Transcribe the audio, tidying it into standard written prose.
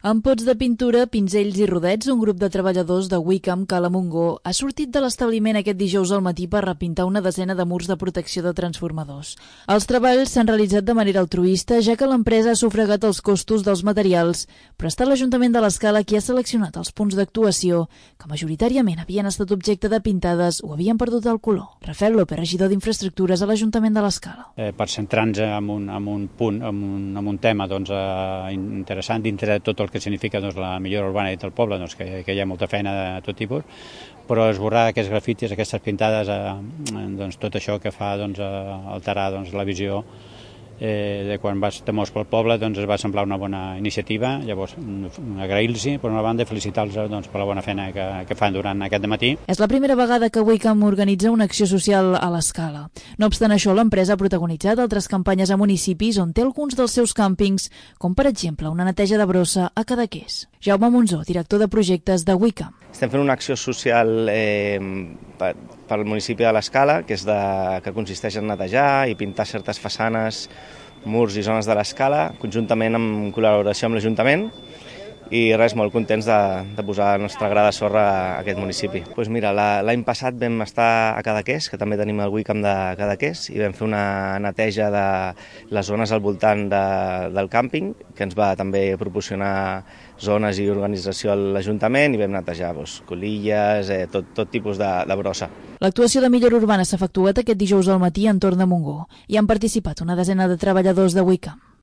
Amb pots de pintura, pinzells i rodets, un grup de treballadors de Wickham, Cala Montgó, ha sortit de l'establiment aquest dijous al matí per repintar una desena de murs de protecció de transformadors. Els treballs s'han realitzat de manera altruista, ja que l'empresa ha sufragat els costos dels materials, però ha estat l'Ajuntament de l'Escala qui ha seleccionat els punts d'actuació, que majoritàriament havien estat objecte de pintades o havien perdut el color. Rafael López, regidor d'Infraestructures a l'Ajuntament de l'Escala. Per centrar-nos en un punt, en un tema interessant dintre de tot el que significa la millora urbana del poble, que hi ha molta feina de tot tipus, però esborrar aquests grafitis, aquestes pintades, tot això que fa alterar la visió de quan vas de mos pel poble, es va semblar una bona iniciativa. Llavors, agrair-los, per una banda, felicitar-los per la bona feina que fan durant aquest dematí. És la primera vegada que Wickham organitza una acció social a l'Escala. No obstant això, l'empresa ha protagonitzat altres campanyes a municipis on té alguns dels seus càmpings, com per exemple una neteja de brossa a Cadaqués. Jaume Monzó, director de projectes de Wickham. Estem fent una acció social pel municipi de l'Escala, que consisteix en netejar i pintar certes façanes, murs i zones de l'Escala, conjuntament en col·laboració amb l'Ajuntament, i res, molt contents de posar la nostra gra de sorra a aquest municipi. Doncs mira, l'any passat vam estar a Cadaqués, que també tenim el Wickham de Cadaqués, i vam fer una neteja de les zones al voltant del càmping, que ens va també proporcionar zones i organització a l'Ajuntament, i vam netejar colilles, tot tipus de brossa. L'actuació de millora urbana s'ha efectuat aquest dijous al matí a entorn de Montgó i han participat una desena de treballadors de Wickham.